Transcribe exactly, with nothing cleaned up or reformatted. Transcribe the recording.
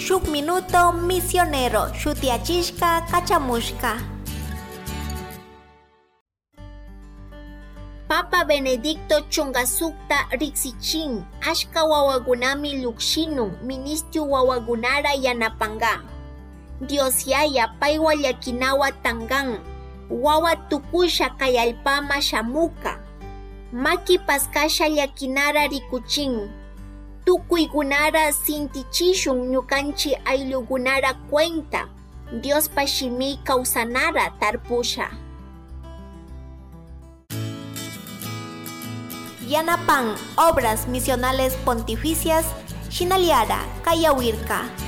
Shuk Minuto Misionero shutiyachishka kachamushka. Papa Benedicto chunka sukta riksichin ashka wawakunami llukshinun ministio wawakunara yanapanga. Dios Yaya paywa llakinawa tangan wawa tukusha kay allpama shamuka. Maki paskasha llakinara rikuchin. Tukuykunara sintichishun ñukanchik ayllukunara cuenta Diospa shimi kawsanara tarpusha. Yanapan Obras Misionales Pontificias Shinaliara Kayawirka.